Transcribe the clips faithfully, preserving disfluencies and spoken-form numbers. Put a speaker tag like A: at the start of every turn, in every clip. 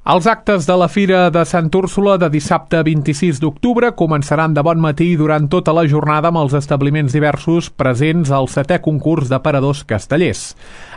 A: Els actes de la Fira de Sant Úrsula de dissabte vint-i-sis d'octubre començaran de bon matí durant tota la jornada amb els establiments diversos presents al setè concurs d'aparadors castellers.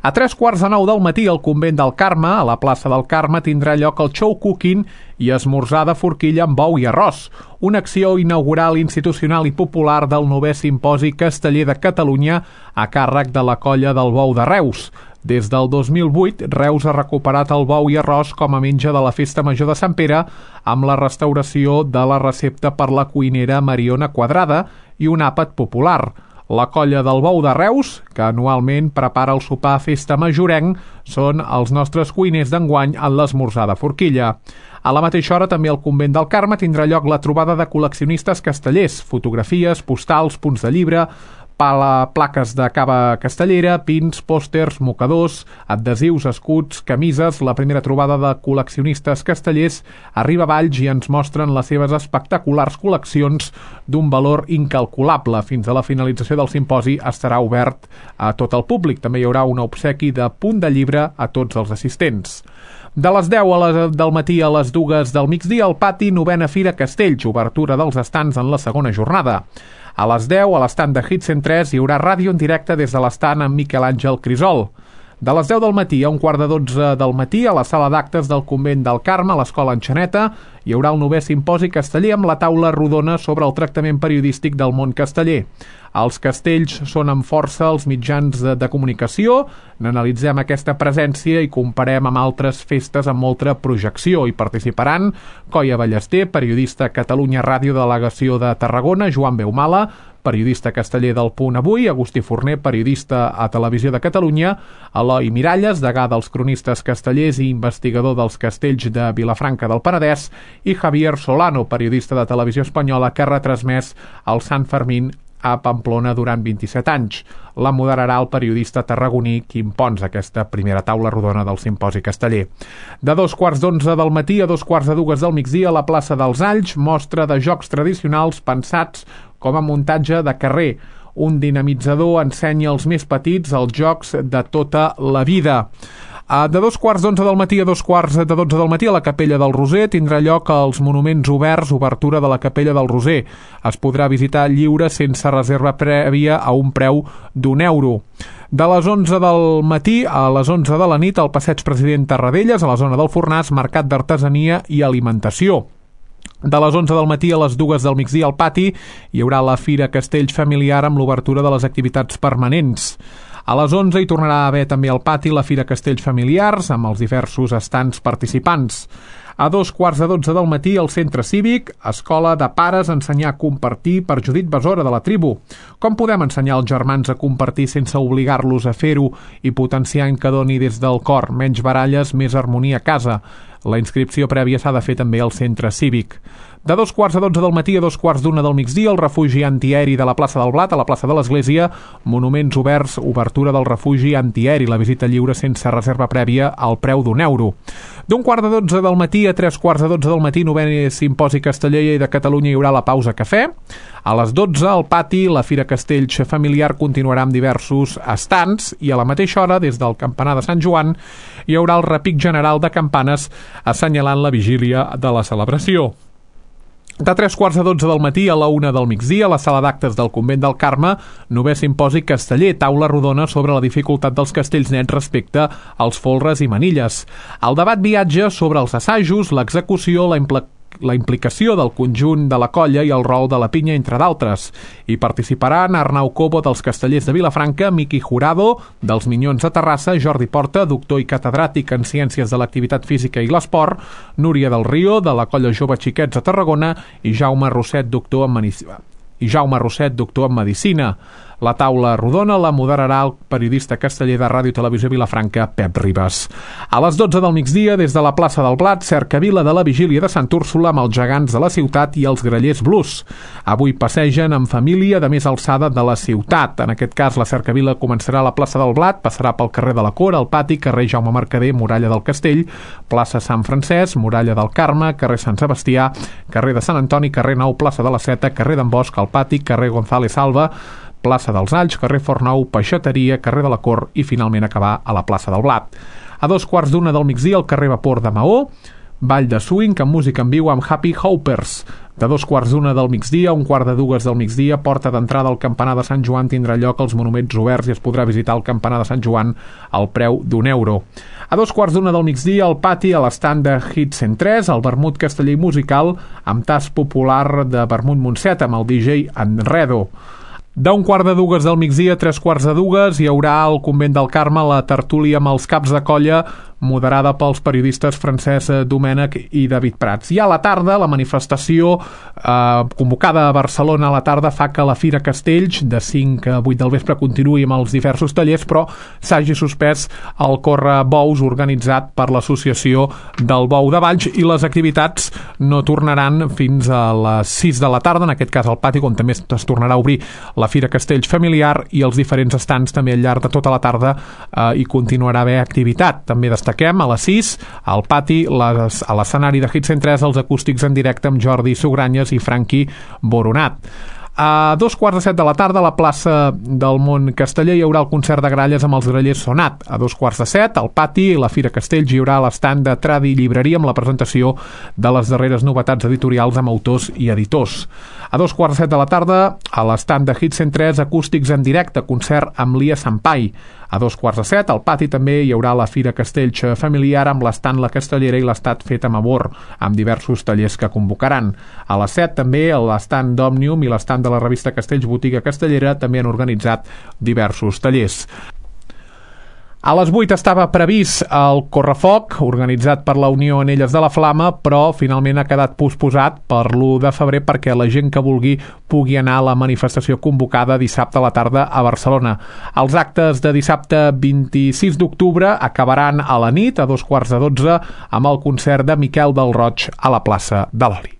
A: A tres quarts de nou del matí al Convent del Carme, a la plaça del Carme, tindrà lloc el show cooking i esmorzar de forquilla amb bou i arròs, una acció inaugural institucional i popular del novè Simposi Casteller de Catalunya a càrrec de la Colla del Bou de Reus. Des del dos mil vuit, Reus ha recuperat el bou i arròs com a menja de la Festa Major de Sant Pere amb la restauració de la recepta per la cuinera Mariona Quadrada i un àpat popular. La Colla del Bou de Reus, que anualment prepara el sopar Festa Majorenc, són els nostres cuiners d'enguany en l'esmorzar de forquilla. A la mateixa hora, també al Convent del Carme tindrà lloc la trobada de col·leccionistes castellers, fotografies, postals, punts de llibre, pala, plaques de cava castellera, pins, pòsters, mocadors, adhesius, escuts, camises. La primera trobada de col·leccionistes castellers arriba a Valls i ens mostren les seves espectaculars col·leccions d'un valor incalculable. Fins a la finalització del simposi estarà obert a tot el públic. També hi haurà un obsequi de punt de llibre a tots els assistents. De les deu a les, del matí a les dues del migdia, al pati novena Fira Castells, obertura dels estants en la segona jornada. A les deu, a l'estant de Hit cent tres, hi haurà ràdio en directe des de l'estant amb Miquel Àngel Crisol. De les deu del matí a un quart de dotze del matí, a la sala d'actes del Convent del Carme, a l'Escola Enxaneta, hi haurà el novè Simposi Casteller amb la taula rodona sobre el tractament periodístic del món casteller. Els castells són amb força els mitjans de, de comunicació, n'analitzem aquesta presència i comparem amb altres festes amb molta projecció. Hi participaran Coia Ballester, periodista a Catalunya Ràdio, delegació de Tarragona, Joan Beumala, periodista casteller del Punt Avui, Agustí Forner, periodista a Televisió de Catalunya, Eloi Miralles, degà dels cronistes castellers i investigador dels castells de Vilafranca del Penedès, i Javier Solano, periodista de Televisió Espanyola, que ha retransmès el Sant Fermín a Pamplona durant vint-i-set anys. La moderarà el periodista tarragoní Quim Pons, aquesta primera taula rodona del Simposi Casteller. De dos quarts d'onze del matí a dos quarts de dues del migdia, a la plaça dels Alls, mostra de jocs tradicionals pensats com a muntatge de carrer. Un dinamitzador ensenya als més petits els jocs de tota la vida. De dos quarts d'onze del matí a dos quarts de dotze del matí a la Capella del Roser tindrà lloc els Monuments Oberts, obertura de la Capella del Roser. Es podrà visitar lliure sense reserva prèvia a un preu d'un euro. De les onze del matí a les onze de la nit al Passeig President Tarradellas, a la zona del Fornàs, mercat d'artesania i alimentació. De les onze del matí a les dues del migdia al pati hi haurà la Fira Castells familiar amb l'obertura de les activitats permanents. A les onze hi tornarà a haver també al pati la Fira Castells familiars amb els diversos estants participants. A dos quarts de dotze del matí al Centre Cívic, Escola de Pares Ensenyar a Compartir per Judit Besora de la Tribu. Com podem ensenyar els germans a compartir sense obligar-los a fer-ho i potenciant que doni des del cor? Menys baralles, més harmonia a casa. La inscripció prèvia s'ha de fer també al Centre Cívic. De dos quarts de dotze del matí a dos quarts d'una del migdia, el refugi antiaeri de la plaça del Blat, a la plaça de l'Església, Monuments Oberts, obertura del refugi antiaeri, la visita lliure sense reserva prèvia al preu d'un euro. D'un quart de dotze del matí a tres quarts de dotze del matí, novè Simposi Casteller de Catalunya, hi haurà la pausa cafè. A les dotze, al pati, la Fira Castells familiar continuarà amb diversos estants i a la mateixa hora, des del campanar de Sant Joan, hi haurà el repic general de campanes assenyalant la vigília de la celebració. De tres quarts de dotze del matí a la una del migdia, a la sala d'actes del Convent del Carme, novè Simposi Casteller, taula rodona sobre la dificultat dels castells nets respecte als folres i manilles. El debat viatge sobre els assajos, l'execució, la implementació, la implicació del conjunt de la colla i el rol de la pinya, entre d'altres. Hi participaran Arnau Cobo dels Castellers de Vilafranca, Miqui Jurado dels Minyons de Terrassa, Jordi Porta, doctor i catedràtic en Ciències de l'Activitat Física i l'Esport, Núria del Río, de la colla Jove Xiquets de Tarragona, i Jaume Rosset, doctor en Medicina. i Jaume Rosset, doctor en Medicina. La taula rodona la moderarà el periodista casteller de Ràdio i Televisió Vilafranca, Pep Ribas. A les dotze del migdia, des de la plaça del Blat, cercavila de la Vigília de Sant Úrsula amb els gegants de la ciutat i els grallers blues. Avui passegen en família de més alçada de la ciutat. En aquest cas, la cercavila començarà a la plaça del Blat, passarà pel carrer de la Cora, el Pati, carrer Jaume Mercader, Muralla del Castell, plaça Sant Francesc, Muralla del Carme, carrer Sant Sebastià, carrer de Sant Antoni, carrer Nou, plaça de la Seta, carrer d'en Bosch, el Pati, carrer González Alba, plaça dels Alls, carrer Fornou, Peixateria, carrer de la Cor i finalment acabar a la plaça del Blat. A dos quarts d'una del migdia al carrer Vapor de Maó, ball de swing amb música en viu amb Happy Hoppers. De dos quarts d'una del migdia a un quart de dues del migdia, porta d'entrada al campanar de Sant Joan tindrà lloc als monuments oberts i es podrà visitar el campanar de Sant Joan al preu d'un euro. A dos quarts d'una del migdia, al pati, a l'estand de Hit cent tres, el vermut casteller musical amb tas popular de vermut Montset amb el D J Enredo. D'un quart de dues del migdia a tres quarts de dues hi haurà al Convent del Carme la tertúlia amb els caps de colla, moderada pels periodistes Francesc Domènech i David Prats. I a la tarda, la manifestació eh, convocada a Barcelona a la tarda fa que la Fira Castells, de cinc a vuit del vespre, continuï amb els diversos tallers, però s'hagi suspès el Corre Bous organitzat per l'Associació del Bou de Valls i les activitats no tornaran fins a les sis de la tarda, en aquest cas al pati, on també es tornarà a obrir la Fira Castells familiar i els diferents estands també al llarg de tota la tarda eh, hi continuarà a haver activitat. També destaquem a les sis, al pati, les, a l'escenari de Hit cent tres, els acústics en directe amb Jordi Sugranyes i Franqui Boronat. A dos quarts de set de la tarda, a la plaça del Mont Casteller, hi haurà el concert de gralles amb els grallers Sonat. A dos quarts de set, al pati, la Fira Castells, hi haurà l'estand de Tradi Llibreria amb la presentació de les darreres novetats editorials amb autors i editors. A dos quarts de set de la tarda, a l'estand de Hit cent tres, acústics en directe, concert amb Lia Sampai. A dos quarts de set, al pati també hi haurà la Fira Castells familiar amb l'estant La Castellera i l'estat fet amb amor, amb diversos tallers que convocaran. A les set també l'estant d'Òmnium i l'estant de la revista Castells Botiga Castellera també han organitzat diversos tallers. A les vuit estava previst el Correfoc, organitzat per la Unió Anelles de la Flama, però finalment ha quedat posposat per l'u de febrer perquè la gent que vulgui pugui anar a la manifestació convocada dissabte a la tarda a Barcelona. Els actes de dissabte vint-i-sis d'octubre acabaran a la nit, a dos quarts de dotze, amb el concert de Miquel del Roig a la plaça de l'Oli.